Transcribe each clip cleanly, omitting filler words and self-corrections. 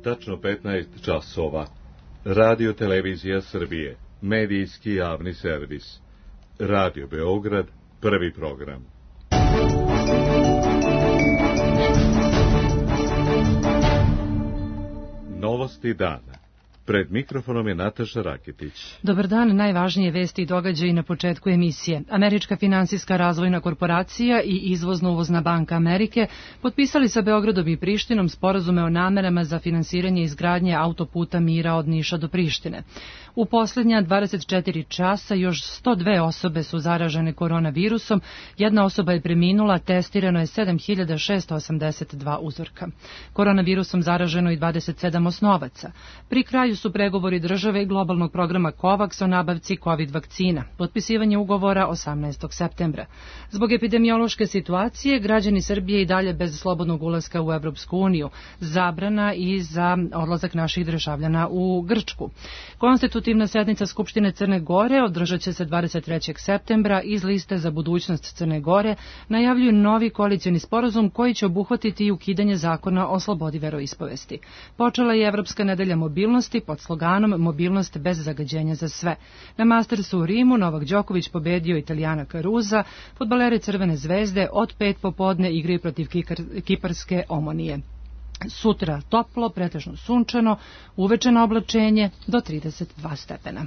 tačno 15 časova. Radio Televizija Srbije, medijski javni servis. Radio Beograd, prvi program. Novosti dana. Pred mikrofonom je Nataša Raketić. Dobar dan, najvažnije vesti i događaji na početku emisije. Američka finansijska razvojna korporacija i Izvozno-uvozna banka Amerike potpisali sa Beogradom i Prištinom sporazume o namerama za finansiranje izgradnje autoputa mira od Niša do Prištine. U posljednja 24 časa još 102 osobe su zaražene koronavirusom, jedna osoba je preminula, testirano je 7682 uzorka. Koronavirusom zaraženo i 27 osnovaca. Pri kraju su pregovori države i globalnog programa COVAX o nabavci COVID vakcina, potpisivanje ugovora 18. septembra. Zbog epidemiološke situacije, građani Srbije i dalje bez slobodnog ulaska u Evropsku uniju, zabrana i za odlazak naših državljana u Grčku. Konstitutivna sednica Skupštine Crne Gore održat će se 23. septembra. Iz liste za budućnost Crne Gore najavljuju novi koalicioni sporazum koji će obuhvatiti i ukidanje zakona o slobodi veroispovesti. Počela je Evropska nedelja mobilnosti pod sloganom Mobilnost bez zagađenja za sve. Na Mastersu u Rimu Novak Đoković pobedio Italijana Caruza, fudbaleri Crvene zvezde od 5 popodne igraju protiv kiparske Omonije. Sutra toplo, pretežno sunčano, uveče na oblačenje do 32 stepena.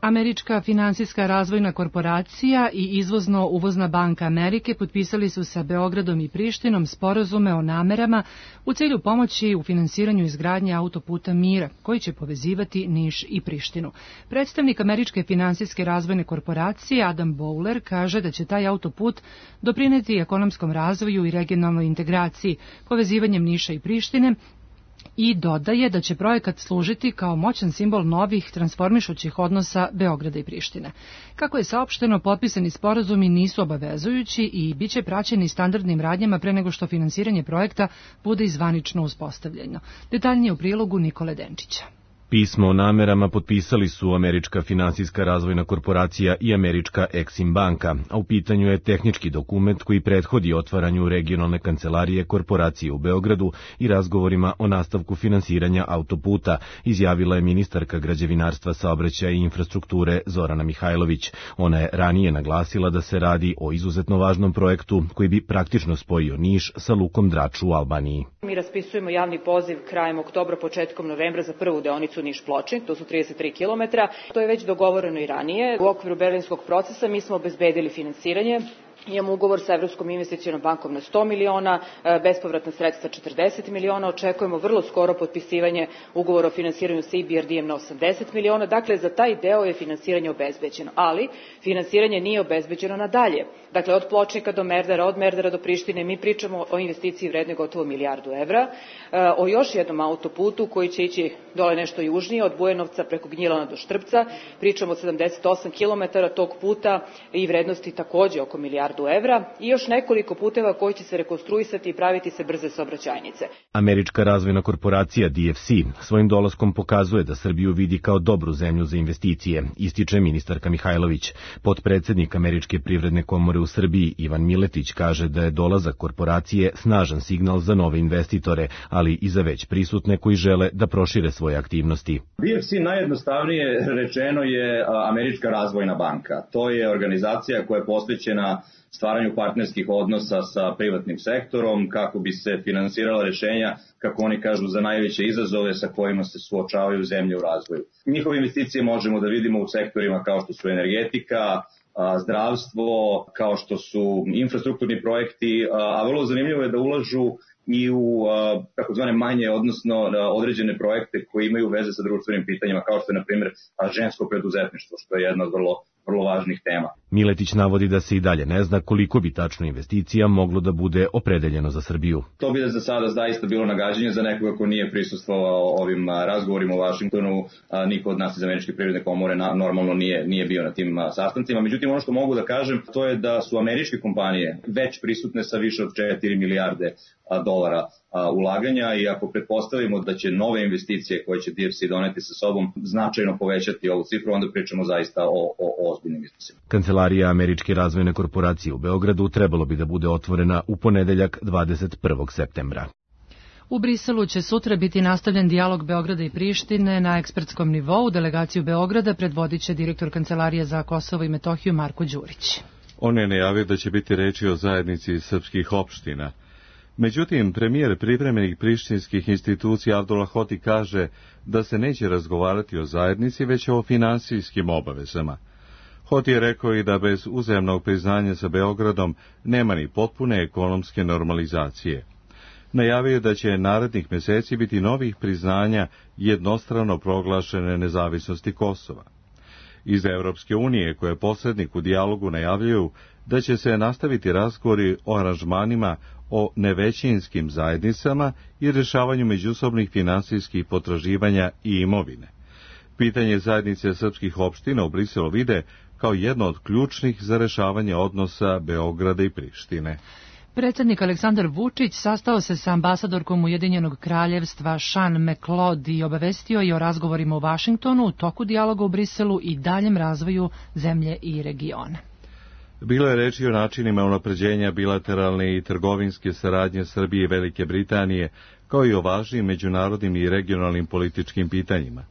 Američka finansijska razvojna korporacija i Izvozno-uvozna banka Amerike potpisali su sa Beogradom i Prištinom sporazume o namerama u cilju pomoći u finansiranju izgradnje autoputa mira, koji će povezivati Niš i Prištinu. Predstavnik Američke finansijske razvojne korporacije Adam Bowler kaže da će taj autoput doprineti ekonomskom razvoju i regionalnoj integraciji, povezivanjem Niša i Prištine, i dodaje da će projekat služiti kao moćan simbol novih transformišućih odnosa Beograda i Prištine. Kako je saopšteno, potpisani sporazumi nisu obavezujući i bit će praćeni standardnim radnjama pre nego što finansiranje projekta bude i zvanično uspostavljeno. Detaljnije u prilogu Nikole Denčića. Pismo o namerama potpisali su Američka finansijska razvojna korporacija i Američka Exim banka, a u pitanju je tehnički dokument koji prethodi otvaranju regionalne kancelarije korporacije u Beogradu i razgovorima o nastavku finansiranja autoputa, izjavila je ministarka građevinarstva, saobraćaja i infrastrukture Zorana Mihajlović. Ona je ranije naglasila da se radi o izuzetno važnom projektu koji bi praktično spojio Niš sa lukom Drač u Albaniji. Mi raspisujemo javni poziv krajem oktobra, početkom novembra za prvu deonicu Niš-Pločnik, to su 33 km. To je već dogovoreno i ranije. U okviru berlinskog procesa mi smo obezbedili finansiranje. Imamo ugovor sa Evropskom investicionom bankom na 100 miliona, bespovratna sredstva 40 miliona, očekujemo vrlo skoro potpisivanje ugovora o finansiranju sa EBRD-em na 80 miliona, dakle za taj deo je finansiranje obezbeđeno, ali finansiranje nije obezbeđeno nadalje. Dakle, od Pločnika do Merdara, od Merdara do Prištine, mi pričamo o investiciji vrednoj gotovo milijardu evra, o još jednom autoputu koji će ići dole nešto južnije, od Bujanovca preko Gnjilana do Štrpca, pričamo o 78 km tog puta i vrednosti takođe oko milijardu evra i još nekoliko puteva koji će se rekonstruisati i praviti se brze saobraćajnice. Američka razvojna korporacija DFC svojim dolaskom pokazuje da Srbiju vidi kao dobru zemlju za investicije, ističe ministarka Mihajlović. Potpredsednik Američke privredne komore u Srbiji Ivan Miletić kaže da je dolazak korporacije snažan signal za nove investitore, ali i za već prisutne koji žele da prošire svoje aktivnosti. DFC najjednostavnije rečeno je Američka razvojna banka. To je organizacija koja je posvećena stvaranju partnerskih odnosa sa privatnim sektorom kako bi se finansirala rešenja, kako oni kažu, za najveće izazove sa kojima se suočavaju zemlje u razvoju. Njihove investicije možemo da vidimo u sektorima kao što su energetika, zdravstvo, kao što su infrastrukturni projekti, a vrlo zanimljivo je da ulažu i u takozvane manje, odnosno određene projekte koji imaju veze sa društvenim pitanjima, kao što je, na primjer, žensko preduzetništvo, što je jedna od vrlo važnih tema. Miletić navodi da se i dalje ne zna koliko bi tačno investicija moglo da bude opredeljeno za Srbiju. To bi za sada zaista bilo nagađanje za nekoga ko nije prisustvovao ovim razgovorima u Vašingtonu. Niko od nas iz Američke privredne komore normalno nije bio na tim sastancima. Međutim, ono što mogu da kažem, to je da su američke kompanije već prisutne sa više od 4 milijarde dolara ulaganja i ako pretpostavimo da će nove investicije koje će DFC doneti sa sobom značajno povećati ovu cifru, onda pričamo zaista o ozbiljnim iznosima. Kancelarija Američke razvojne korporacije u Beogradu trebalo bi da bude otvorena u ponedeljak 21. septembra. U Briselu će sutra biti nastavljen dijalog Beograda i Prištine na ekspertskom nivou. Delegaciju Beograda predvodit će direktor Kancelarije za Kosovo i Metohiju Marko Đurić. On je najavio da će biti reči o zajednici srpskih opština. Međutim, premijer privremenih prištinskih institucija Abdullah Hoti kaže da se neće razgovarati o zajednici, već o finansijskim obavezama. Hoti je rekao i da bez uzajamnog priznanja sa Beogradom nema ni potpune ekonomske normalizacije. Najavio da će narednih meseci biti novih priznanja jednostrano proglašene nezavisnosti Kosova. Iz Evropske unije, koje posrednik u dijalogu najavljuju da će se nastaviti razgovori o aranžmanima o nevećinskim zajednicama i rješavanju međusobnih finansijskih potraživanja i imovine. Pitanje zajednice srpskih opština u Briselu vide kao jedno od ključnih za rješavanje odnosa Beograda i Prištine. Predsjednik Aleksandar Vučić sastao se sa ambasadorkom Ujedinjenog kraljevstva Sean McLeod i obavestio je o razgovorima u Vašingtonu u toku dijaloga u Briselu i daljem razvoju zemlje i regiona. Bilo je reči o načinima unapređenja bilateralne i trgovinske saradnje Srbije i Velike Britanije, kao i o važnim međunarodnim i regionalnim političkim pitanjima.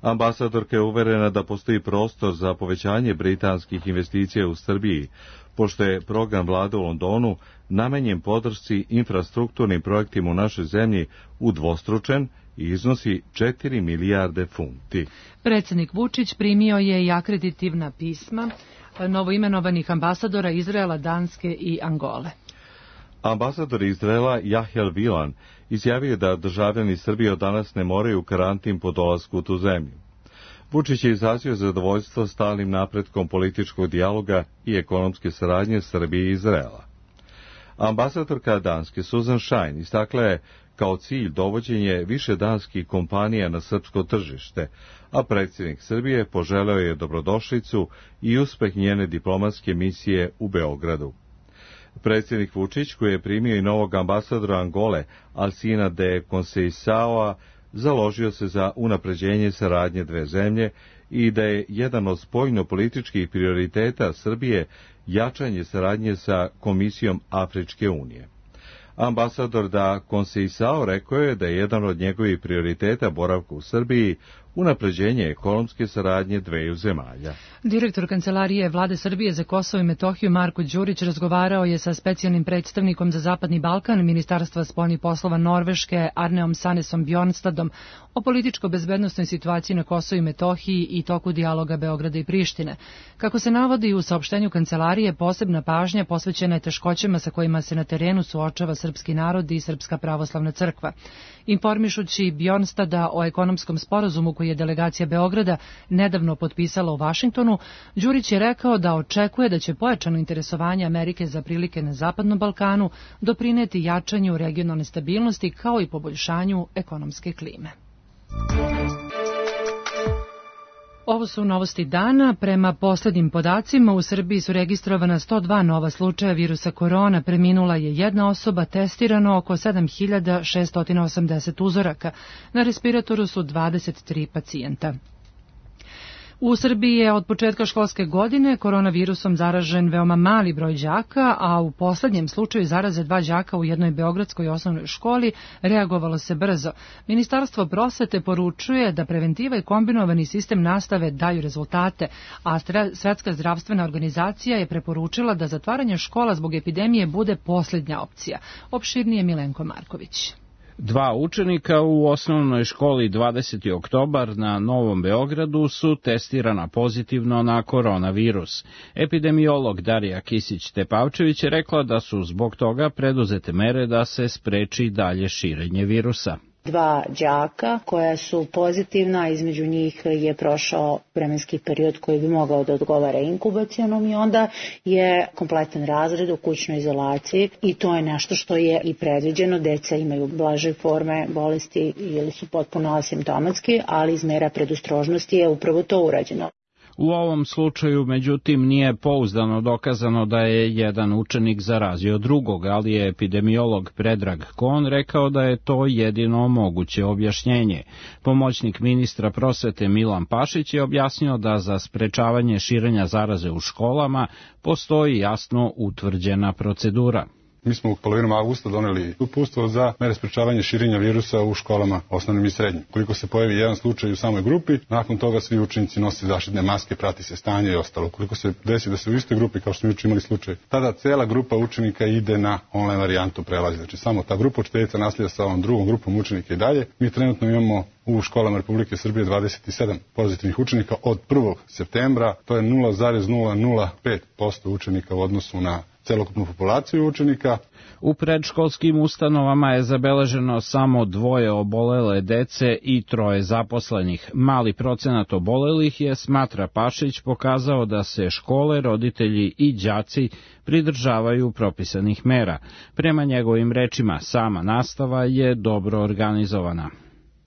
Ambasadorka je uverena da postoji prostor za povećanje britanskih investicija u Srbiji, pošto je program vlade u Londonu namenjen podršci infrastrukturnim projektima u našoj zemlji udvostručen i iznosi 4 milijarde funti. Predsjednik Vučić primio je i akreditivna pisma novoimenovanih ambasadora Izraela, Danske i Angole. Ambasador Izraela Jahel Vilan izjavio da državljani Srbije od danas ne moraju karantin po dolasku u tu zemlju. Vučić je izrazio zadovoljstvo stalnim napretkom političkog dijaloga i ekonomske saradnje Srbije i Izraela. Ambasadorka Danske Susan Shine istakla je kao cilj dovođenje više danskih kompanija na srpsko tržište, a predsjednik Srbije poželeo je dobrodošlicu i uspeh njene diplomatske misije u Beogradu. Predsjednik Vučić, koji je primio i novog ambasadora Angole, Alcina de Conceiçao, založio se za unapređenje saradnje dve zemlje i da je jedan od spoljno-političkih prioriteta Srbije jačanje saradnje sa Komisijom Afričke unije. Ambasador da Conceiçao rekao je da je jedan od njegovih prioriteta boravka u Srbiji unapređenje ekonomske saradnje dveju zemalja. Direktor Kancelarije Vlade Srbije za Kosovo i Metohiju Marko Đurić razgovarao je sa specijalnim predstavnikom za Zapadni Balkan Ministarstva spoljnih poslova Norveške Arneom Sanesom Bjornstadom o političko-bezbednosnoj situaciji na Kosovu i Metohiji i toku dijaloga Beograda i Prištine. Kako se navodi u saopštenju Kancelarije, posebna pažnja posvećena je teškoćama sa kojima se na terenu suočava srpski narod i Srpska pravoslavna crkva. Informišući Bjornstada o ekonomskom sporazumu koji je delegacija Beograda nedavno potpisala u Vašingtonu, Đurić je rekao da očekuje da će pojačano interesovanje Amerike za prilike na Zapadnom Balkanu doprineti jačanju regionalne stabilnosti kao i poboljšanju ekonomske klime. Ovo su novosti dana. Prema poslednjim podacima u Srbiji su registrovana 102 nova slučaja virusa korona, preminula je jedna osoba, testirano oko 7680 uzoraka. Na respiratoru su 23 pacijenta. U Srbiji je od početka školske godine koronavirusom zaražen veoma mali broj đaka, a u poslednjem slučaju zaraze 2 đaka u jednoj beogradskoj osnovnoj školi reagovalo se brzo. Ministarstvo prosvete poručuje da preventiva i kombinovani sistem nastave daju rezultate, a Svetska zdravstvena organizacija je preporučila da zatvaranje škola zbog epidemije bude posljednja opcija. Opširnije Milenko Marković. 2 učenika u osnovnoj školi 20. oktobar na Novom Beogradu su testirana pozitivno na koronavirus. Epidemiolog Darija Kisić-Tepavčević je rekla da su zbog toga preduzete mere da se spreči dalje širenje virusa. 2 đaka koja su pozitivna, između njih je prošao vremenski period koji bi mogao da odgovara inkubacionom i onda je kompletan razred u kućnoj izolaciji i to je nešto što je i predviđeno. Deca imaju blaže forme bolesti ili su potpuno asimptomatski, ali iz mera predostrožnosti je upravo to urađeno. U ovom slučaju, međutim, nije pouzdano dokazano da je jedan učenik zarazio drugog, ali je epidemiolog Predrag Kon rekao da je to jedino moguće objašnjenje. Pomoćnik ministra prosvete Milan Pašić je objasnio da za sprečavanje širenja zaraze u školama postoji jasno utvrđena procedura. Mi smo u polovinom avgusta doneli uputstvo za mere sprečavanja širenja virusa u školama osnovnim i srednjim. Koliko se pojavi jedan slučaj u samoj grupi, nakon toga svi učenici nose zaštitne maske, prati se stanje i ostalo. Koliko se desi da se u istoj grupi, kao što smo juče imali slučaj, tada cela grupa učenika ide na online varijantu prelazi. Znači samo ta grupa učiteljica naslija sa ovom drugom grupom učenika i dalje. Mi trenutno imamo u školama Republike Srbije 27 pozitivnih učenika od 1. septembra. To je 0,005% učenika u odnosu na celokupnu populaciju učenika. U predškolskim ustanovama je zabeleženo samo 2 obolele dece i 3 zaposlenih. Mali procenat obolelih je, smatra Pašić, pokazao da se škole, roditelji i đaci pridržavaju propisanih mera. Prema njegovim rečima, sama nastava je dobro organizovana.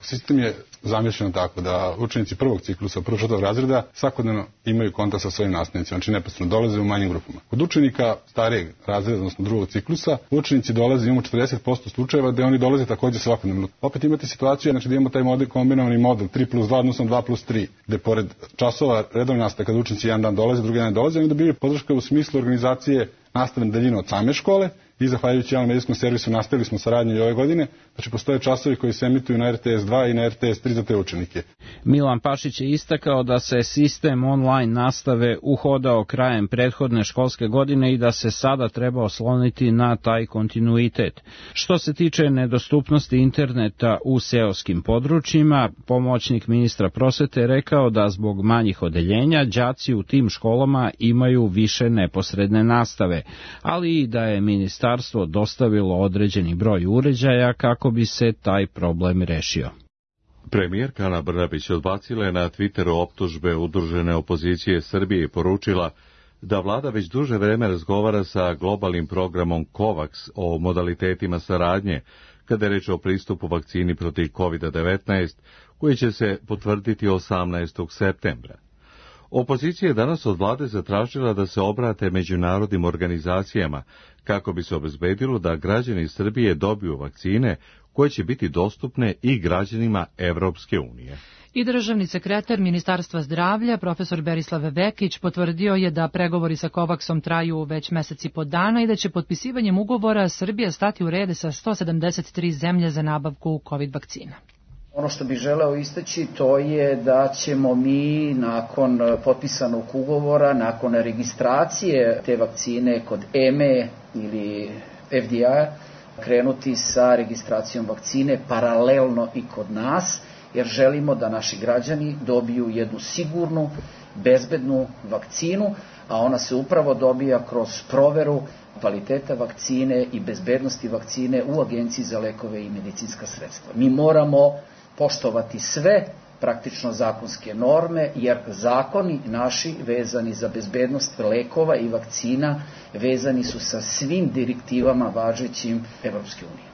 Sistem je zamišljeno tako da učenici prvog ciklusa, prvog 4. razreda svakodnevno imaju kontakt sa svojim nastavnicima, znači neposredno dolaze u manjim grupama. Kod učenika starijeg razreda, odnosno drugog ciklusa, učenici dolaze, imamo 40% slučajeva gde oni dolaze takođe svakodnevno. Opet imate situaciju, znači da imamo taj model, kombinovani model 3+2, odnosno 2+3, gde pored časova redovne nastave, kada učenici jedan dan dolaze, drugi dan ne dolaze, oni dobiju podrška u smislu organizacije nastave na daljinu od same škole i zahvaljujući javnom medijskom servisu nastavili smo saradnju i ove godine. Znači postoje časovi koji se emituju na RTS 2 i na RTS 3 za te učenike. Milan Pašić je istakao da se sistem online nastave uhodao krajem prethodne školske godine i da se sada treba osloniti na taj kontinuitet. Što se tiče nedostupnosti interneta u seoskim područjima, pomoćnik ministra prosvete je rekao da zbog manjih odeljenja đaci u tim školama imaju više neposredne nastave, ali i da je ministarstvo dostavilo određeni broj uređaja kako bi se taj problem rešio. Premijerka Ana Brnabić odbacila je na Twitteru optužbe Udružene opozicije Srbije i poručila da vlada već duže vreme razgovara sa globalnim programom COVAX o modalitetima saradnje kada je reč o pristupu vakcini protiv COVID-19 koji će se potvrditi 18. septembra. Opozicija je danas od vlade zatražila da se obrate međunarodnim organizacijama kako bi se obezbedilo da građani Srbije dobiju vakcine koje će biti dostupne i građanima Evropske unije. I državni sekretar Ministarstva zdravlja, profesor Berislav Vekić, potvrdio je da pregovori sa COVAX-om traju već mesec i po dana i da će potpisivanjem ugovora Srbija stati u red sa 173 zemlje za nabavku COVID vakcina. Ono što bih želeo istaći to je da ćemo mi nakon potpisanog ugovora, nakon registracije te vakcine kod EME ili FDA krenuti sa registracijom vakcine paralelno i kod nas, jer želimo da naši građani dobiju jednu sigurnu, bezbednu vakcinu, a ona se upravo dobija kroz proveru kvaliteta vakcine i bezbednosti vakcine u Agenciji za lekove i medicinska sredstva. Mi moramo poštovati sve praktično zakonske norme, jer zakoni naši vezani za bezbednost lekova i vakcina vezani su sa svim direktivama važećim Evropske unije.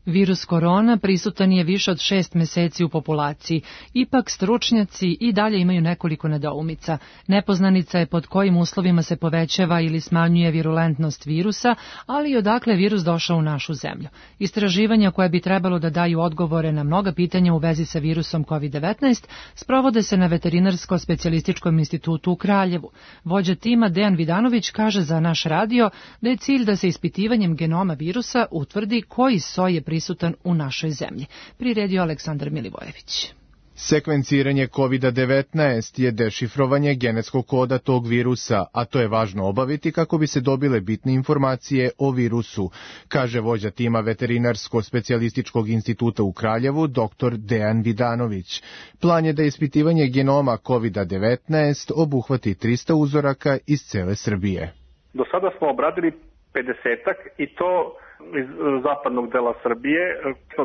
Virus korona prisutan je više od 6 meseci u populaciji. Ipak stručnjaci i dalje imaju nekoliko nedoumica. Nepoznanica je pod kojim uslovima se povećava ili smanjuje virulentnost virusa, ali i odakle je virus došao u našu zemlju. Istraživanja koje bi trebalo da daju odgovore na mnoga pitanja u vezi sa virusom COVID-19 sprovode se na Veterinarsko-specijalističkom institutu u Kraljevu. Vođa tima Dejan Vidanović kaže za naš radio da je cilj da se ispitivanjem genoma virusa utvrdi koji soj je prisutan u našoj zemlji. Priredio Aleksandar Milivojević. Sekvenciranje COVID-19 je dešifrovanje genetskog koda tog virusa, a to je važno obaviti kako bi se dobile bitne informacije o virusu, kaže vođa tima Veterinarsko-specijalističkog instituta u Kraljevu, dr. Dejan Vidanović. Plan je da ispitivanje genoma COVID-19 obuhvati 300 uzoraka iz cele Srbije. Do sada smo obradili 50-ak i to iz zapadnog dela Srbije.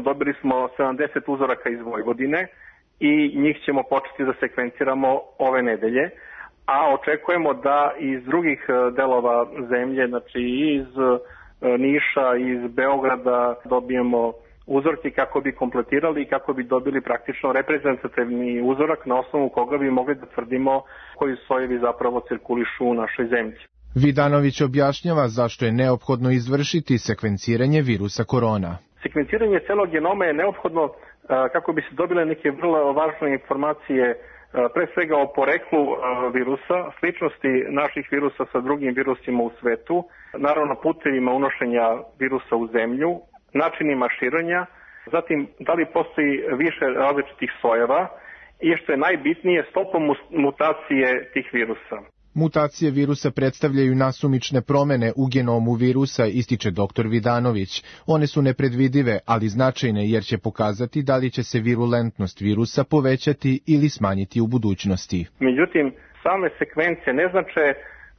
Dobili smo 70 uzoraka iz Vojvodine i njih ćemo početi da sekvenciramo ove nedelje, a očekujemo da iz drugih delova zemlje, znači iz Niša, iz Beograda dobijemo uzorke kako bi kompletirali i kako bi dobili praktično reprezentativni uzorak na osnovu koga bi mogli da tvrdimo koji sojevi zapravo cirkulišu u našoj zemlji. Vidanović objašnjava zašto je neophodno izvršiti sekvenciranje virusa korona. Sekvenciranje celog genoma je neophodno kako bi se dobile neke vrlo važne informacije, pre svega o poreklu virusa, sličnosti naših virusa sa drugim virusima u svetu, naravno putevima unošenja virusa u zemlju, načinima širenja, zatim da li postoji više različitih sojeva i što je najbitnije stopom mutacije tih virusa. Mutacije virusa predstavljaju nasumične promene u genomu virusa, ističe dr. Vidanović. One su nepredvidive, ali značajne jer će pokazati da li će se virulentnost virusa povećati ili smanjiti u budućnosti. Međutim, same sekvence ne znače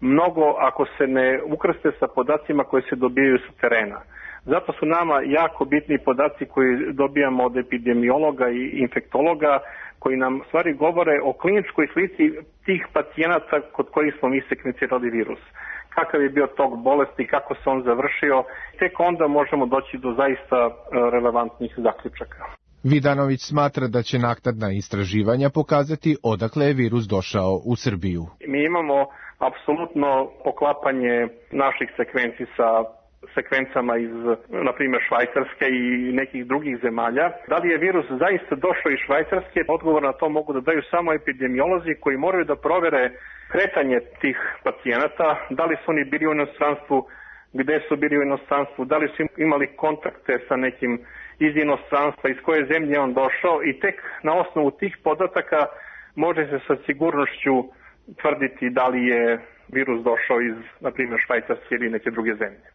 mnogo ako se ne ukrste sa podacima koji se dobijaju sa terena. Zato su nama jako bitni podaci koji dobijamo od epidemiologa i infektologa, koji nam stvari govore o kliničkoj slici tih pacijenata kod kojih smo mi sekvencirali virus. Kakav je bio tok bolesti, kako se on završio, tek onda možemo doći do zaista relevantnih zaključaka. Vidanović smatra da će naknadna istraživanja pokazati odakle je virus došao u Srbiju. Mi imamo apsolutno poklapanje naših sekvenci sa sekvencama iz, na primjer, Švajcarske i nekih drugih zemalja. Da li je virus zaista došao iz Švajcarske? Odgovor na to mogu da daju samo epidemiolozi koji moraju da provere kretanje tih pacijenata, da li su oni bili u inostranstvu, gde su bili u inostranstvu, da li su imali kontakte sa nekim iz inostranstva, iz koje zemlje je on došao i tek na osnovu tih podataka može se sa sigurnošću tvrditi da li je virus došao iz, na primjer, Švajcarske ili neke druge zemlje.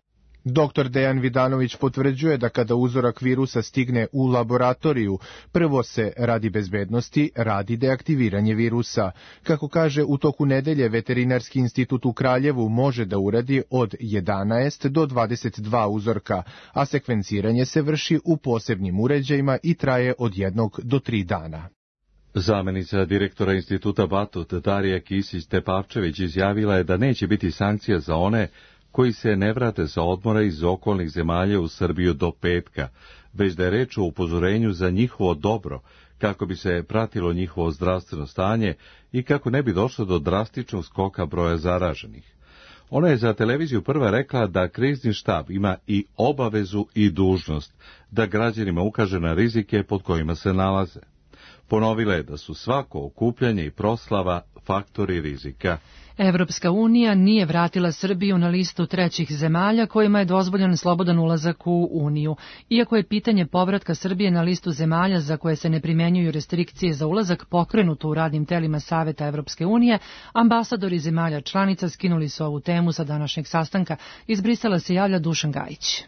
Dr. Dejan Vidanović potvrđuje da kada uzorak virusa stigne u laboratoriju, prvo se radi bezbednosti radi deaktiviranje virusa. Kako kaže, u toku nedelje Veterinarski institut u Kraljevu može da uradi od 11 do 22 uzorka, a sekvenciranje se vrši u posebnim uređajima i traje od 1 do 3 dana. Zamenica direktora instituta Batut Darija Kisić-Tepavčević izjavila je da neće biti sankcija za one koji se ne vrate sa odmora iz okolnih zemalja u Srbiju do petka, već da je reč o upozorenju za njihovo dobro, kako bi se pratilo njihovo zdravstveno stanje i kako ne bi došlo do drastičnog skoka broja zaraženih. Ona je za televiziju Prva rekla da krizni štab ima i obavezu i dužnost da građanima ukaže na rizike pod kojima se nalaze. Ponovila je da su svako okupljanje i proslava faktori rizika. Evropska unija nije vratila Srbiju na listu trećih zemalja kojima je dozvoljen slobodan ulazak u Uniju. Iako je pitanje povratka Srbije na listu zemalja za koje se ne primenjuju restrikcije za ulazak pokrenuto u radnim telima Saveta Evropske unije, ambasadori zemalja članica skinuli su ovu temu sa današnjeg sastanka. Iz Brisela se javlja Dušan Gajić.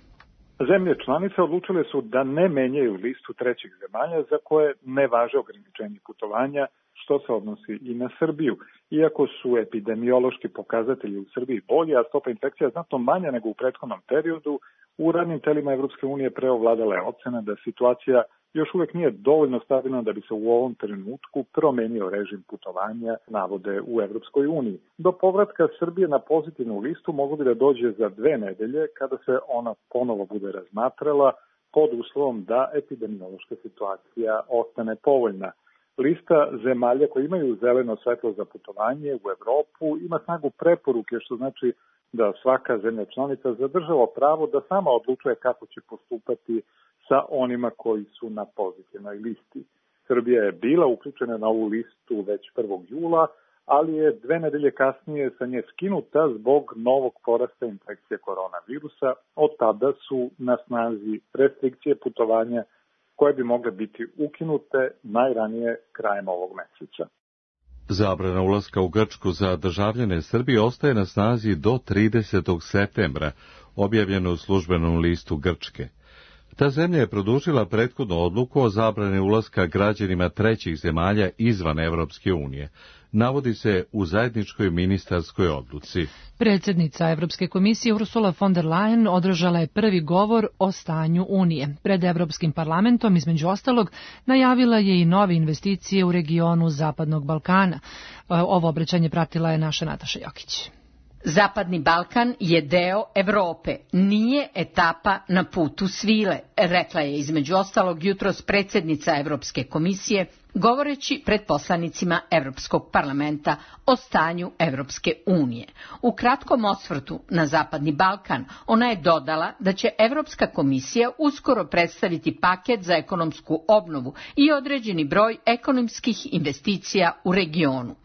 Zemlje članice odlučile su da ne menjaju listu trećih zemalja za koje ne važe ograničenje putovanja, što se odnosi i na Srbiju. Iako su epidemiološki pokazatelji u Srbiji bolji, a stopa infekcija znatno manja nego u prethodnom periodu, u radnim telima Evropske unije preovladala je ocena da situacija još uvek nije dovoljno stabilna da bi se u ovom trenutku promenio režim putovanja, navode u Evropskoj uniji. Do povratka Srbije na pozitivnu listu moglo bi da dođe za 2 nedelje kada se ona ponovo bude razmatrala pod uslovom da epidemiološka situacija ostane povoljna. Lista zemalja koje imaju zeleno svetlo za putovanje u Evropu ima snagu preporuke, što znači da svaka zemlja članica zadržava pravo da sama odlučuje kako će postupati sa onima koji su na pozitivnoj listi. Srbija je bila uključena na ovu listu već 1. jula, ali je 2 nedelje kasnije sa nje skinuta zbog novog porasta infekcije koronavirusa. Od tada su na snazi restrikcije putovanja koje bi mogle biti ukinute najranije krajem ovog meseca. Zabrana ulaska u Grčku za državljane Srbije ostaje na snazi do 30. septembra, objavljeno u službenom listu Grčke. Ta zemlja je produžila prethodnu odluku o zabrani ulaska građanima trećih zemalja izvan Evropske unije. Navodi se u zajedničkoj ministarskoj odluci. Predsjednica Evropske komisije Ursula von der Leyen održala je prvi govor o stanju Unije. Pred Evropskim parlamentom, između ostalog, najavila je i nove investicije u regionu Zapadnog Balkana. Ovo obraćanje pratila je naša Nataša Jokić. Zapadni Balkan je deo Evrope, nije etapa na putu svile, rekla je između ostalog jutros predsjednica Evropske komisije, govoreći pred poslanicima Evropskog parlamenta o stanju Evropske unije. U kratkom osvrtu na Zapadni Balkan ona je dodala da će Evropska komisija uskoro predstaviti paket za ekonomsku obnovu i određeni broj ekonomskih investicija u regionu.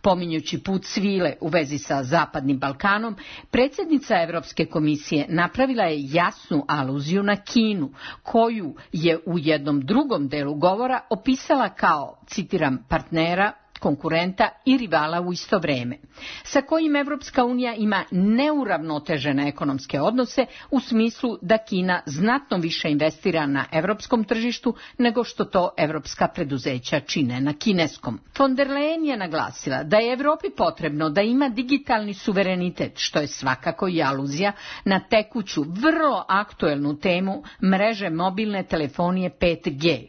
Pominjući put svile u vezi sa Zapadnim Balkanom, predsjednica Evropske komisije napravila je jasnu aluziju na Kinu, koju je u jednom drugom delu govora opisala kao, citiram, partnera, konkurenta i rivala u isto vreme, sa kojim Evropska unija ima neuravnotežene ekonomske odnose u smislu da Kina znatno više investira na evropskom tržištu nego što to evropska preduzeća čine na kineskom. Von der Leyen je naglasila da je Evropi potrebno da ima digitalni suverenitet, što je svakako i aluzija na tekuću, vrlo aktuelnu temu mreže mobilne telefonije 5G.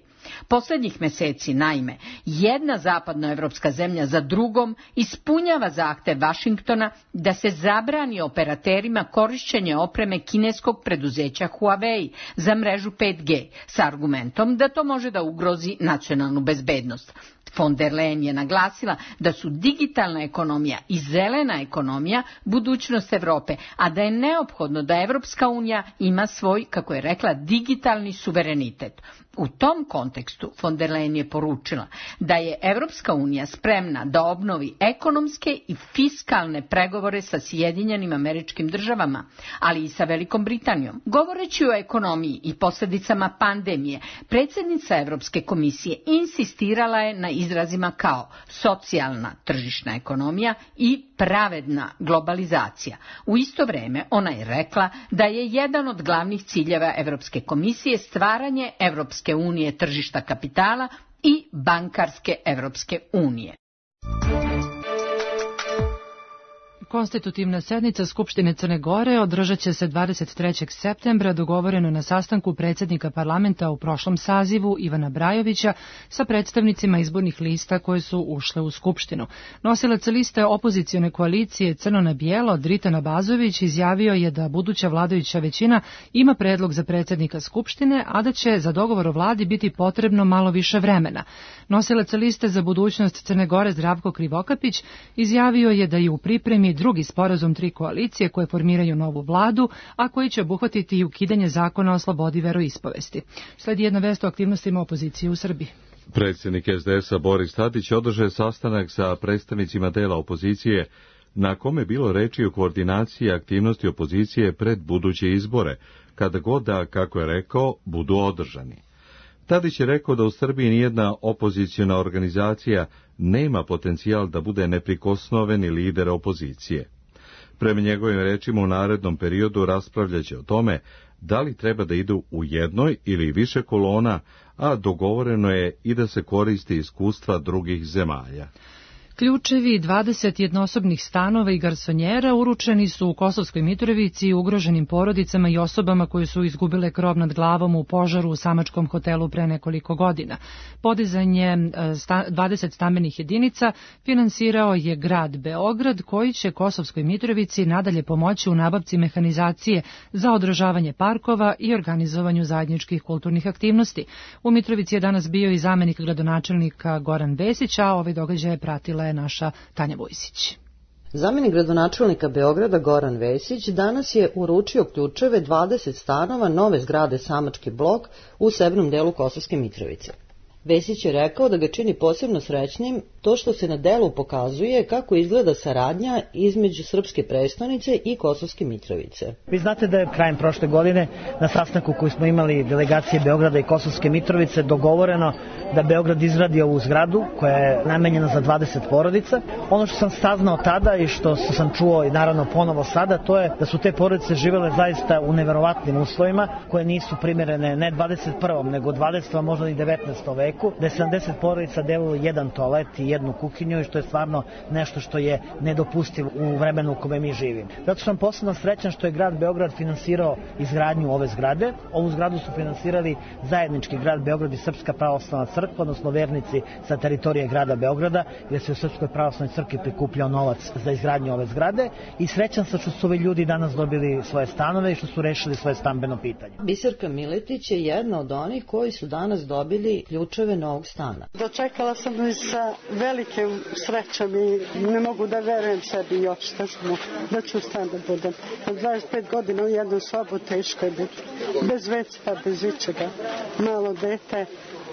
Posljednjih meseci, naime, jedna zapadnoevropska zemlja za drugom ispunjava zahtev Vašingtona da se zabrani operaterima korišćenje opreme kineskog preduzeća Huawei za mrežu 5G s argumentom da to može da ugrozi nacionalnu bezbednost. Von der Leyen je naglasila da su digitalna ekonomija i zelena ekonomija budućnost Evrope, a da je neophodno da Evropska unija ima svoj, kako je rekla, digitalni suverenitet. U tom kontekstu von der Leyen je poručila da je Evropska unija spremna da obnovi ekonomske i fiskalne pregovore sa Sjedinjenim Američkim Državama, ali i sa Velikom Britanijom. Govoreći o ekonomiji i posljedicama pandemije, predsjednica Evropske komisije insistirala je na izrazima kao socijalna tržišna ekonomija i pravedna globalizacija. U isto vrijeme ona je rekla da je jedan od glavnih ciljeva Evropske komisije stvaranje Evropske unije tržišta kapitala i bankarske Evropske unije. Konstitutivna sednica Skupštine Crne Gore održat će se 23. septembra, dogovoreno na sastanku predsjednika parlamenta u prošlom sazivu Ivana Brajovića sa predstavnicima izbornih lista koje su ušle u Skupštinu. Nosilac liste opozicione koalicije Crno na bijelo, Dritan Abazović, izjavio je da buduća vladajuća većina ima predlog za predsjednika Skupštine, a da će za dogovor o vladi biti potrebno malo više vremena. Nosilac liste za budućnost Crne Gore Zdravko Krivokapić izjavio je da je u pripremi drugi sporazum tri koalicije koje formiraju novu vladu, a koji će obuhvatiti i ukidanje zakona o slobodi veroispovesti. Sledi jedna vest o aktivnostima opozicije u Srbiji. Predsjednik SDS-a Boris Tadić održao sastanak sa predstavnicima dela opozicije, na kome je bilo reči o koordinaciji aktivnosti opozicije pred buduće izbore, kada god da, kako je rekao, budu održani. Tadić je rekao da u Srbiji nijedna opoziciona organizacija nema potencijal da bude neprikosnoveni lider opozicije. Prema njegovim rečima u narednom periodu raspravljaće o tome da li treba da idu u jednoj ili više kolona, a dogovoreno je i da se koristi iskustva drugih zemalja. Ključevi 20 jednosobnih stanova i garsonjera uručeni su u Kosovskoj Mitrovici ugroženim porodicama i osobama koje su izgubile krov nad glavom u požaru u samačkom hotelu pre nekoliko godina. Podizanje 20 stambenih jedinica finansirao je grad Beograd, koji će Kosovskoj Mitrovici nadalje pomoći u nabavci mehanizacije za održavanje parkova i organizovanju zajedničkih kulturnih aktivnosti. U Mitrovici je danas bio i zamenik gradonačelnika Goran Vesić, a ove događaje pratila je naša Tanja Vojsić. Zamenik gradonačelnika Beograda Goran Vesić danas je uručio ključeve 20 stanova nove zgrade Samački blok u severnom delu Kosovske Mitrovice. Vesić je rekao da ga čini posebno srećnim to što se na delu pokazuje kako izgleda saradnja između srpske prestonice i Kosovske Mitrovice. Vi znate da je krajem prošle godine na sastanku koji smo imali delegacije Beograda i Kosovske Mitrovice dogovoreno da Beograd izradi ovu zgradu koja je namenjena za 20 porodica. Ono što sam saznao tada i što sam čuo i naravno ponovo sada, to je da su te porodice živele zaista u neverovatnim uslovima koje nisu primjerene ne 21. nego 20. možda i 19. veku. hipoteku, da je 70 porodica delilo jedan toalet i jednu kuhinju i što je stvarno nešto što je nedopustivo u vremenu u kome mi živimo. Zato sam posebno srećan što je grad Beograd finansirao izgradnju ove zgrade. Ovu zgradu su finansirali zajednički grad Beograd i Srpska pravoslavna crkva, odnosno vernici sa teritorije grada Beograda, gde se u Srpskoj pravoslavnoj crkvi prikupljao novac za izgradnju ove zgrade i srećan sam što su ovi ljudi danas dobili svoje stanove i što su rešili svoje stambeno pitanje. Biserka Miletić je jedna od onih koji su danas dobili ključeve novog stana. Dočekala sam sa velikim srećom i ne mogu da verujem sebi još da ću stan da budem. 25 godina u jednu sobu teško je biti. Bez veca, bez ičega. Malo dete,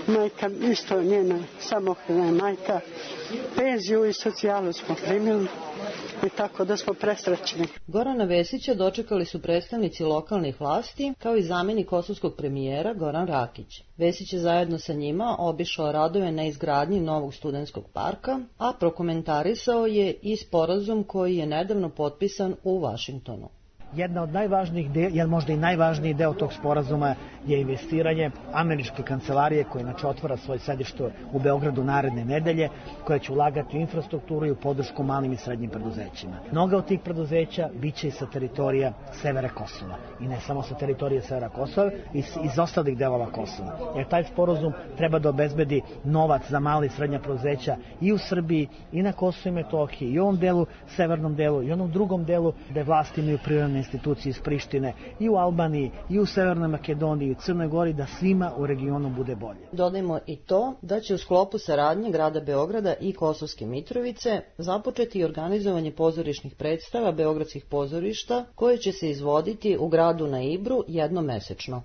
majka isto njena samohrana majka. Penziju i socijalu smo primili i tako da smo presrećni. Gorana Vesića dočekali su predstavnici lokalnih vlasti kao i zamjenik kosovskog premijera Goran Rakić. Vesić je zajedno sa njima obišao radove na izgradnji novog studentskog parka, a prokomentarisao je i sporazum koji je nedavno potpisan u Vašingtonu. Jedna od najvažnijih, možda i najvažniji deo tog sporazuma je investiranje američke kancelarije koja inače otvara svoje sedište u Beogradu naredne nedelje, koja će ulagati u infrastrukturu i u podršku malim i srednjim preduzećima. Mnoga od tih preduzeća biće i sa teritorija severa Kosova. I ne samo sa teritorije severa Kosova, iz ostalih delova Kosova. Jer taj sporazum treba da obezbedi novac za mala i srednja preduzeća i u Srbiji, i na Kosovu i Metohiji, i u ovom delu, severnom delu, i onom drugom delu gde vlasti imaju prirodne institucije iz Prištine, i u Albaniji, i u Severnoj Makedoniji, i u Crnoj Gori, da svima u regionu bude bolje. Dodajmo i to da će u sklopu saradnje grada Beograda i Kosovske Mitrovice započeti organizovanje pozorišnih predstava beogradskih pozorišta koje će se izvoditi u gradu na Ibru jednomesečno.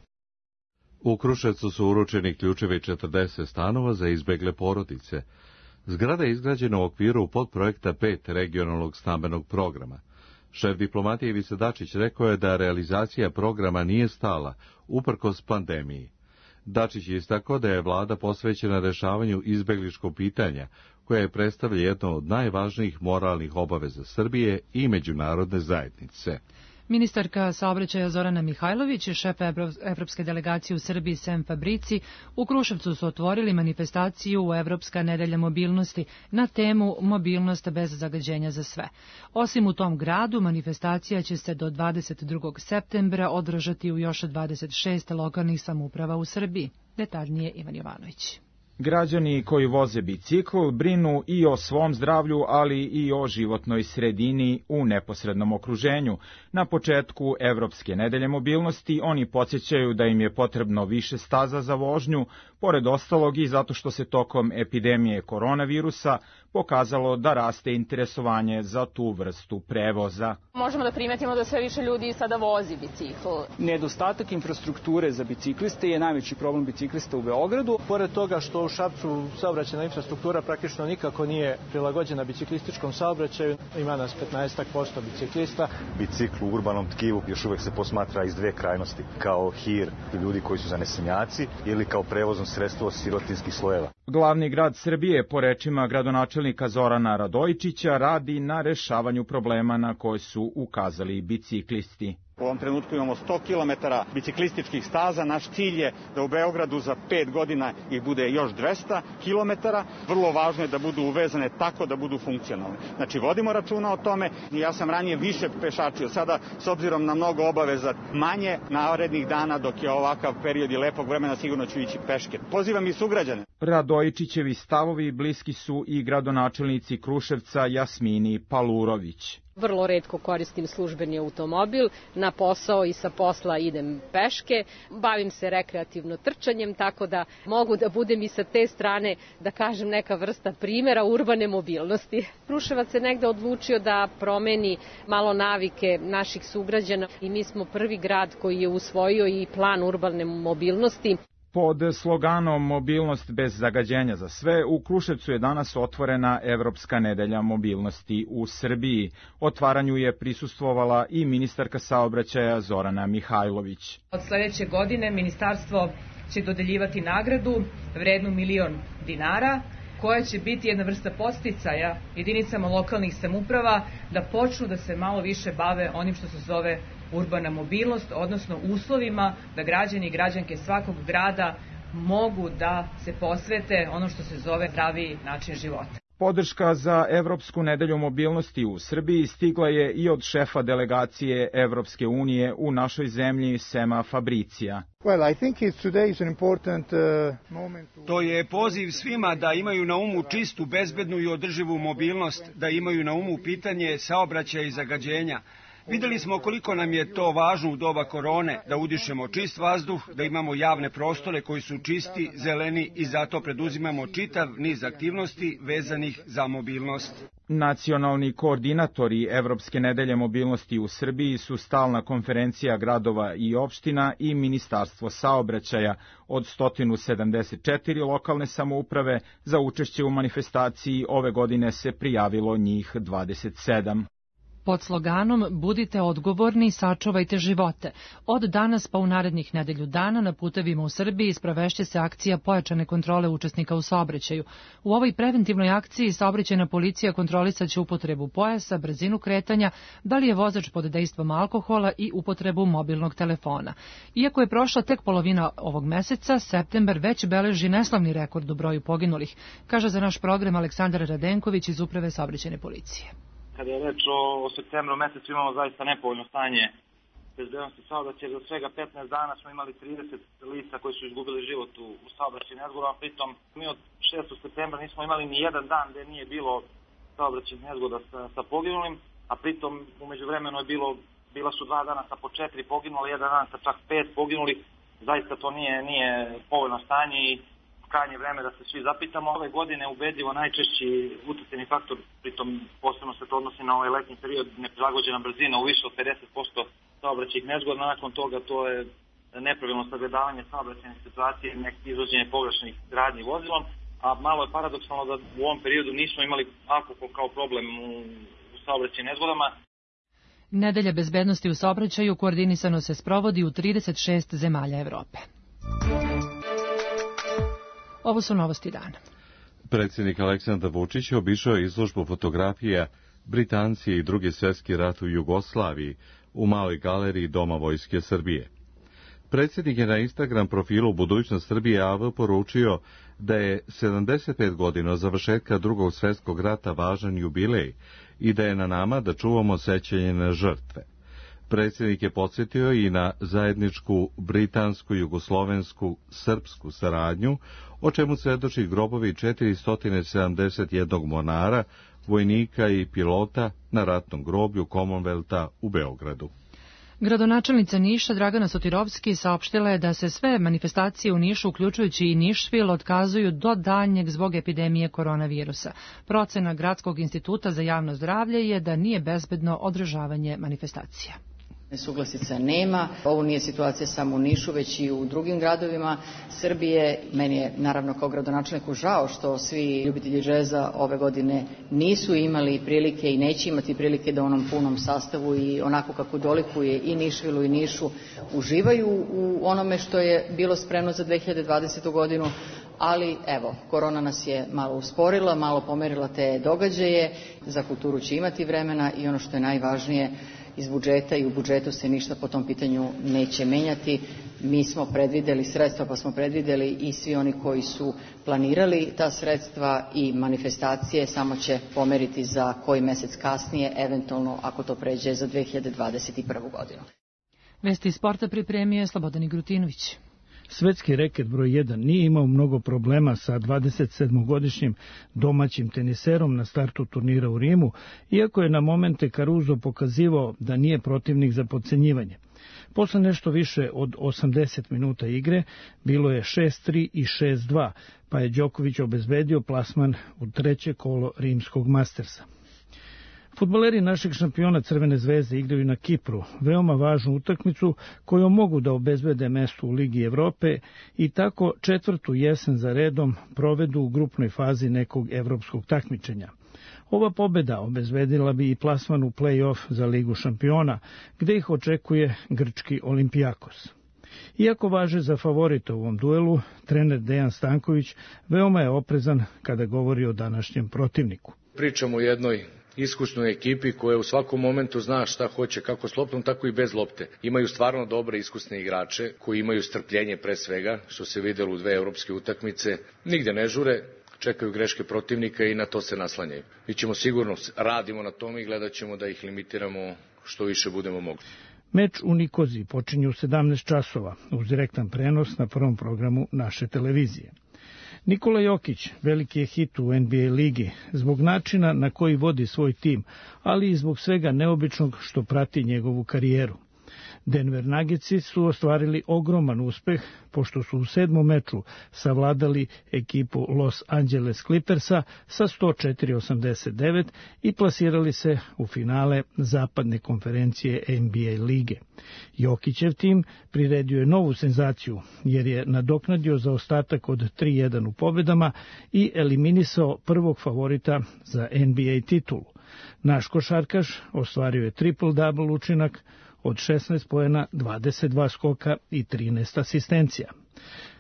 U Kruševcu su uručeni ključevi 40 stanova za izbegle porodice. Zgrada je izgrađena u okviru podprojekta 5 regionalnog stambenog programa. Šef diplomatije Ivica Dačić rekao je da realizacija programa nije stala, uprkos pandemiji. Dačić je istakao da je vlada posvećena rešavanju izbegličkog pitanja, koje predstavlja jedno od najvažnijih moralnih obaveza Srbije i međunarodne zajednice. Ministarka saobraćaja Zorana Mihajlović i šef Evropske delegacije u Srbiji Sem Fabrici u Kruševcu su otvorili manifestaciju u Evropska nedelja mobilnosti na temu Mobilnost bez zagađenja za sve. Osim u tom gradu, manifestacija će se do 22. septembra održati u još 26 lokalnih samouprava u Srbiji. Detaljnije Ivan Jovanović. Građani koji voze bicikl brinu i o svom zdravlju, ali i o životnoj sredini u neposrednom okruženju. Na početku Evropske nedelje mobilnosti oni podsjećaju da im je potrebno više staza za vožnju, pored ostalog i zato što se tokom epidemije koronavirusa pokazalo da raste interesovanje za tu vrstu prevoza. Možemo da primetimo da sve više ljudi sada vozi bicikl. Nedostatak infrastrukture za bicikliste je najveći problem biciklista u Beogradu. Pored toga što u Šapcu saobraćajna infrastruktura praktično nikako nije prilagođena biciklističkom saobraćaju, ima nas 15% biciklista. Bicikl u urbanom tkivu još uvek se posmatra iz dve krajnosti, kao hir ljudi koji su zanesenjaci ili kao prevozno sredstvo sirotinskih slojeva. Glavni grad Srbije, po rečima gradonačelnika Zorana Radojičića, radi na rešavanju problema na koje su ukazali biciklisti. U ovom trenutku imamo 100 km biciklističkih staza. Naš cilj je da u Beogradu za 5 godina ih bude još 200 km. Vrlo važno je da budu uvezane tako da budu funkcionalne. Znači, vodimo računa o tome. Ja sam ranije više pešačio. Sada, s obzirom na mnogo obaveza, manje narednih dana dok je ovakav period i lepog vremena, sigurno ću ići peške. Pozivam i sugrađane. Radojičićevi stavovi bliski su i gradonačelnici Kruševca Jasmini Palurović. Vrlo retko koristim službeni automobil, na posao i sa posla idem peške, bavim se rekreativno trčanjem, tako da mogu da budem i sa te strane, da kažem, neka vrsta primjera urbane mobilnosti. Kruševac se negde odlučio da promeni malo navike naših sugrađana i mi smo prvi grad koji je usvojio i plan urbane mobilnosti. Pod sloganom Mobilnost bez zagađenja za sve, u Kruševcu je danas otvorena Evropska nedelja mobilnosti u Srbiji. Otvaranju je prisustvovala i ministarka saobraćaja Zorana Mihajlović. Od sledeće godine ministarstvo će dodeljivati nagradu vrednu $1.000.000, koja će biti jedna vrsta podsticaja jedinicama lokalnih samouprava da počnu da se malo više bave onim što se zove urbana mobilnost, odnosno uslovima da građani i građanke svakog grada mogu da se posvete ono što se zove zdravi način života. Podrška za Evropsku nedelju mobilnosti u Srbiji stigla je i od šefa delegacije Evropske unije u našoj zemlji, Sema Fabricija. To je poziv svima da imaju na umu čistu, bezbednu i održivu mobilnost, da imaju na umu pitanje saobraćaja i zagađenja. Videli smo koliko nam je to važno u doba korone, da udišemo čist vazduh, da imamo javne prostore koji su čisti, zeleni i zato preduzimamo čitav niz aktivnosti vezanih za mobilnost. Nacionalni koordinatori Evropske nedelje mobilnosti u Srbiji su stalna konferencija gradova i opština i Ministarstvo saobraćaja. Od 174 lokalne samouprave za učešće u manifestaciji ove godine se prijavilo njih 27. Pod sloganom Budite odgovorni, sačuvajte živote. Od danas pa u narednih nedelju dana na putevima u Srbiji sprovešće se akcija pojačane kontrole učesnika u saobraćaju. U ovoj preventivnoj akciji saobraćajna policija kontrolisaće upotrebu pojasa, brzinu kretanja, da li je vozač pod dejstvom alkohola i upotrebu mobilnog telefona. Iako je prošla tek polovina ovog meseca, septembar već beleži neslavni rekord u broju poginulih, kaže za naš program Aleksandar Radenković iz Uprave saobraćajne policije. Kada je reč o septembru mesecu imamo zaista nepovoljno stanje bezbednosti saobraćaja. Za svega 15 dana smo imali 30 lica koji su izgubili život u saobraćajnim nezgodama. Pritom mi od 6. septembra nismo imali ni jedan dan gde nije bilo saobraćajnih nezgoda sa poginulim, a pritom umeđu vremenu je bila su 2 dana sa po 4 poginuli, jedan dan sa čak 5 poginuli. Zaista to nije povoljno stanje i krajnje vreme da se svi zapitamo. Ove godine ubedljivo najčešći uticajni faktor, pritom posebno se to odnosi na ovaj letnji period, neprilagođena brzina u više od 50% saobraćajnih nezgoda. Nakon toga to je nepravilno sagledavanje saobraćajne situacije, neki izvođenje pogrešnih radnji vozilom, a malo je paradoksalno da u ovom periodu nismo imali alkohol kao problem u saobraćajnim nezgodama. Nedelja bezbednosti u saobraćaju koordinisano se sprovodi u 36 zemalja Evrope. Ovo su novosti dana. Predsjednik Aleksandar Vučić obišao izložbu fotografija Britanci i Drugi svjetski rat u Jugoslaviji u maloj galeriji Doma Vojske Srbije. Predsjednik je na Instagram profilu Budućnost Srbije AV poručio da je 75 godina od završetka Drugog svjetskog rata važan jubilej i da je na nama da čuvamo sećanje na žrtve. Predsjednik je podsjetio i na zajedničku britansku, jugoslovensku, srpsku saradnju, o čemu svedoči grobovi 471 mornara, vojnika i pilota na ratnom groblju Commonwealtha u Beogradu. Gradonačelnica Niša Dragana Sotirovski saopštila je da se sve manifestacije u Nišu, uključujući i Nišvil, otkazuju do daljnjeg zbog epidemije koronavirusa. Procena Gradskog instituta za javno zdravlje je da nije bezbedno održavanje manifestacija. Nesuglasica nema. Ovo nije situacija samo u Nišu, već i u drugim gradovima Srbije. Meni je naravno kao gradonačelniku žao što svi ljubitelji džeza ove godine nisu imali prilike i neće imati prilike da u onom punom sastavu i onako kako dolikuje i Nišvilu i Nišu uživaju u onome što je bilo spremno za 2020. godinu. Ali evo, korona nas je malo usporila, malo pomerila te događaje. Za kulturu će imati vremena i ono što je najvažnije, iz budžeta i u budžetu se ništa po tom pitanju neće menjati. Mi smo predvideli sredstva, pa smo predvideli i svi oni koji su planirali ta sredstva i manifestacije samo će pomeriti za koji mesec kasnije, eventualno ako to pređe za 2021. godinu. Vesti iz sporta pripremio je Slobodan Grutinović. Svetski reket broj 1 nije imao mnogo problema sa 27-godišnjim domaćim teniserom na startu turnira u Rimu, iako je na momente Caruso pokazivao da nije protivnik za podcenjivanje. Posle nešto više od 80 minuta igre bilo je 6-3 i 6-2, pa je Đoković obezbedio plasman u treće kolo rimskog Mastersa. Fudbaleri našeg šampiona Crvene zvezde igraju na Kipru, veoma važnu utakmicu kojom mogu da obezbede mesto u Ligi Evrope i tako 4. jesen za redom provedu u grupnoj fazi nekog evropskog takmičenja. Ova pobeda obezbedila bi i plasman u play-off za Ligu šampiona, gde ih očekuje grčki Olimpijakos. Iako važe za favorita u ovom duelu, trener Dejan Stanković veoma je oprezan kada govori o današnjem protivniku. Pričamo o jednoj iskusnoj ekipi koja u svakom momentu zna šta hoće, kako s loptom, tako i bez lopte. Imaju stvarno dobre iskusne igrače koji imaju strpljenje pre svega, što se videlo u 2 evropske utakmice. Nigde ne žure, čekaju greške protivnika i na to se naslanjaju. Mi ćemo sigurno, radimo na tome i gledat ćemo da ih limitiramo što više budemo mogli. Meč u Nikoziji počinje u 17 časova uz direktan prenos na prvom programu naše televizije. Nikola Jokić veliki je hit u NBA ligi zbog načina na koji vodi svoj tim, ali i zbog svega neobičnog što prati njegovu karijeru. Denver Nuggetsi su ostvarili ogroman uspeh pošto su u 7. meču savladali ekipu Los Angeles Clippersa sa 104-89 i plasirali se u finale zapadne konferencije NBA lige. Jokićev tim priredio je novu senzaciju jer je nadoknadio zaostatak od 3-1 u pobedama i eliminisao prvog favorita za NBA titulu. Naš košarkaš ostvario je triple-double učinak od 16 poena, 22 skoka i 13 asistencija.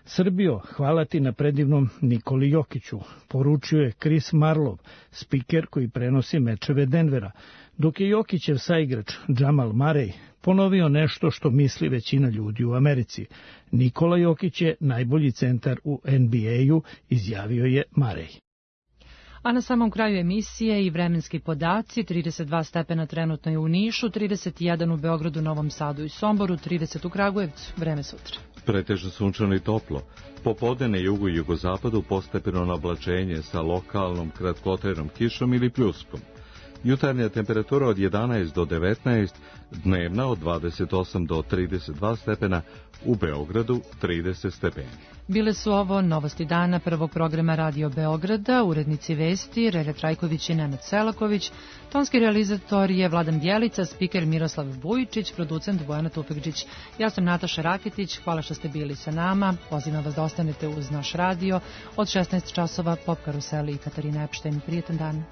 Srbijo, hvala ti na predivnom Nikoli Jokiću, poručio je Chris Marlov, spiker koji prenosi mečeve Denvera, dok je Jokićev saigrač Jamal Murray ponovio nešto što misli većina ljudi u Americi. Nikola Jokić je najbolji centar u NBA-u, izjavio je Murray. A na samom kraju emisije i vremenski podaci, 32 stepena trenutno je u Nišu, 31 u Beogradu, Novom Sadu i Somboru, 30 u Kragujevcu, vreme sutra. Pretežno sunčano i toplo. Popodne na jugu i jugozapadu postepeno nablačenje sa lokalnom kratkotrajnom kišom ili pljuskom. Jutarnja temperatura od 11 do 19, dnevna od 28 do 32 stepena, u Beogradu 30 stepeni. Bile su ovo novosti dana prvog programa Radio Beograda, urednici vesti Relja Trajković i Nenad Selaković, tonski realizator je Vladan Bjelica, spiker Miroslav Bujičić, producent Bojana Tufekđić. Ja sam Nataša Raketić, hvala što ste bili sa nama, pozivam vas da ostanete uz naš radio, od 16 časova Pop Karuseli i Katarina Epštajn. Prijetan dan.